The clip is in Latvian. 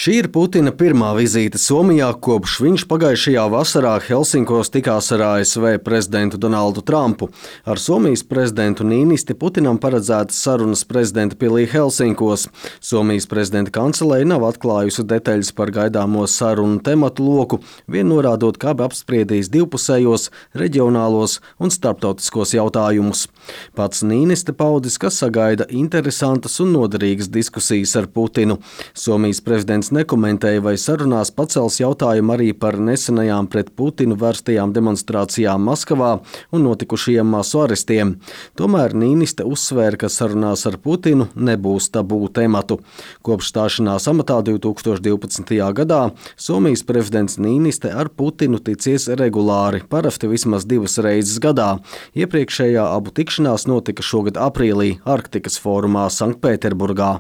Šī ir Putina pirmā vizīte Somijā, kopš viņš pagājušajā vasarā Helsinkos tikās ar ASV prezidentu Donaldu Trumpu. Ar Somijas prezidentu Niinisti Putinam paredzētas sarunas prezidenta pilī Helsinkos. Somijas prezidenta kancelēja nav atklājusi detaļas par gaidāmo sarunu tematu loku, vien norādot, ka abi apspriedīs divpusējos, reģionālos un starptautiskos jautājumus. Pats Niiniste paudis, ka sagaida interesantas un noderīgas diskusijas ar Putinu. Somijas prezidents nekomentēja, vai sarunās pacels jautājumu arī par nesenajām pret Putinu vērstajām demonstrācijām Maskavā un notikušajiem masu arestiem. Tomēr Niiniste uzsvēra, ka sarunās ar Putinu nebūs tabū tematu. Kopš stāšanās amatā 2012. gadā Somijas prezidents Niiniste ar Putinu ticies regulāri, parasti vismaz 2 reizes gadā. Iepriekšējā abu tikšanās notika šogad aprīlī Arktikas fórumā Sanktpēterburgā.